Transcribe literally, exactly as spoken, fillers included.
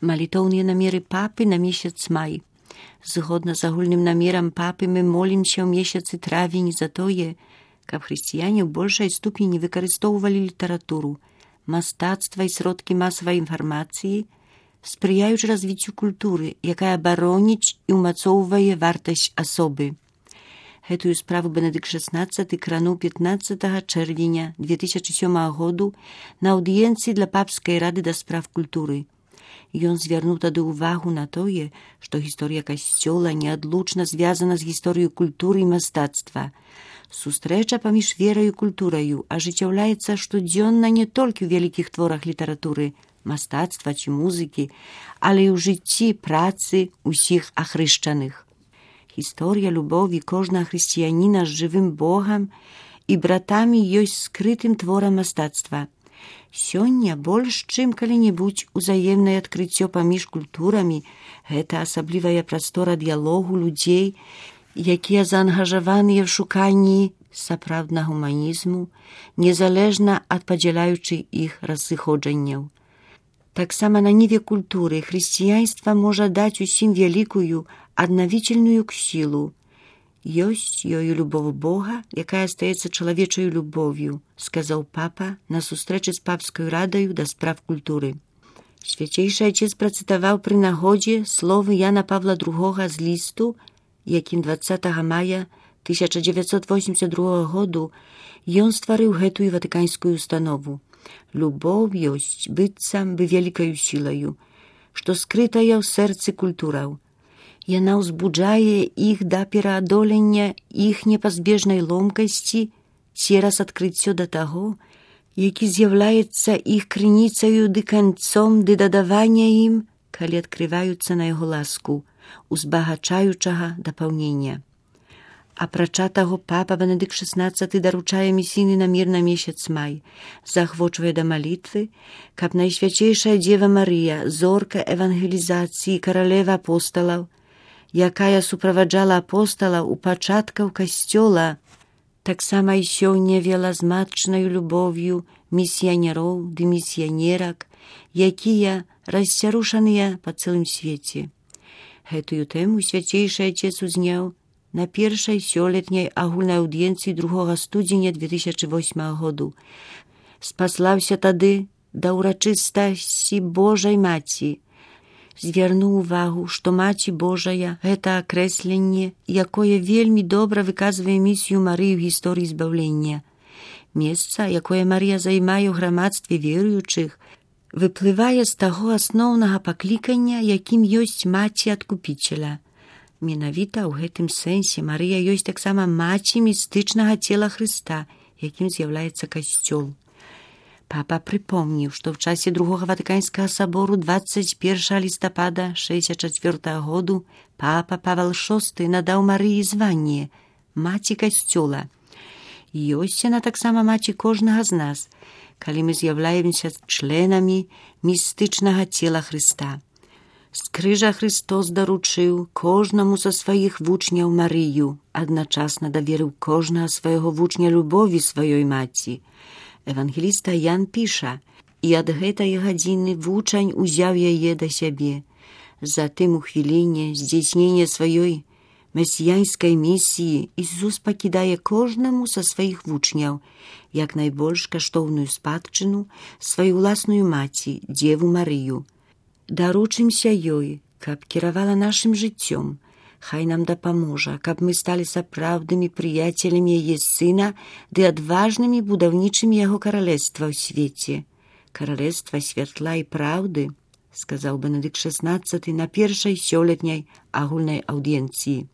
Малітоўныя намеры папы на месяц май. Згодна з агульным намерам папы мы молімся ў месяцы травень за тое, каб хрысціяне ў большай ступені выкарыстоўвалі літаратуру, мастацтва і сродкі масавай інфармацыі, спрыяючы развіццю культуры, якая бароніць і ўмацоўвае вартасць асобы. Гэтую справу Бенедыкт шаснаццаты крануў пятнаццатага чэрвеня две тысячы сёмага году на аўдыенцыі для папскай рады да спраў культуры. Ён звярнуў тады ўвагу на тое, што гісторыя касцёла неадлучна звязана з гісторыяй культуры і мастацтва. Сустрэча паміж вераю і культураю ажыццяўляецца штодзённа не толькі ў вялікіх творах літаратуры, мастацтва ці музыкі, але і ў жыцці працы ўсіх ахрышчаных. Гісторыя любові кожнага хрысціяніна з жывым Богам і братамі ёсць скрытым творам мастацтва. Сёння больш чым калі-небудзь узаемнае адкрыццё паміж культурамі – гэта асаблівая прастора дыялогу людзей, якія заангажаваныя ў шуканні сапраўднага гуманізму, незалежна ад падзяляючых іх разыходжанняў. Таксама на ніве культуры хрысціянства можа даць усім вялікую аднавічальную сілу. Ёсць ёю любоў Бога, якая стаецца чалавечаю любов'ю, сказаў папа на сустрэчы з папскай радаю да спраў культуры. Свяцейшы Айцец працытаваў пры нагодзе словы Яна Павла другога з лісту, якім дваццатага мая тысяча дзевяцьсот восемдзесят другога году ён стварыў гэтую ватыканскую установу. Любоў ёсць быццам бы вялікаю сілаю, што скрытая ў сэрцы культураў. Яна ўзбуджае іх да пераадолення іх непазбежнай ломкасці цераз адкрыццё да таго, які з'яўляецца іх крыніцаю ды канцом ды дадавання ім, калі адкрываюцца на яго ласку, узбагачаючага дапаўнення. Апрача таго, папа Бенедыкт шаснаццаты даручае місійны намер на месяц май, заахвочвае да малітвы, каб Найсвяцейшая Дзева Марыя, зорка евангелізацыі, каралева апосталаў, якая суправаджала апосталаў у пачаткаў касцёла, таксама і сёння вела з матчнаю любов'ю місіянероў ды місіянерак, якія расцярушаныя па цэлым свеце. Гэтую тэму Свяцейшы Айцец узняў на першай сёлетняй агульнай аўдыенцыі другога студзеня две тысячы восьмага году. Спаслаўся тады да ўрачыстасці Божай Маці, звярнуў увагу, што Маці Божая – гэта акрэсленне, якое вельмі добра выказвае місію Марыі ў гісторыі збаўлення. Месца, якое Марыя займае ў грамадстве веруючых, выплывае з таго асноўнага паклікання, якім ёсць Маці Адкупіцеля. Менавіта ў гэтым сэнсе Марыя ёсць таксама маці містычнага цела Хрыста, якім з'яўляецца касцёл. Папа прыпомніў, што ў часе другога ватыканскага сабору дваццаць першага лістапада шэсцьдзесят чацвёртага году папа Павел шосты надаў Марыі званне маці касцёла. Ёсць яна таксама маці кожнага з нас, калі мы з'яўляемся членамі містычнага цела Хрыста. З крыжа Христос даручыў кожнаму са сваіх вучняў Марыю, адначасна даверыў кожнага свайго вучня любові сваёй маці. Евангеліста Ян піша: «І ад гэтай гадзіны вучань узяў яе да сябе. Затым у хвіліне здзейснення сваёй месіянскай місіі Ісус пакідае кожнаму са сваіх вучняў, як найбольш каштоўную спадчыну, сваю ўласную маці, Дзеву Марыю. Даручымся ёй, каб кіравала нашым жыццём. Хай нам дапаможа, каб мы сталі сапраўднымі прыяцелямі яе сына ды адважнымі будаўнічымі яго каралевства ў свеце. Каралевства святла і праўды», сказаў Бенедыкт шаснаццаты на першай сёлетняй агульнай аўдыенцыі.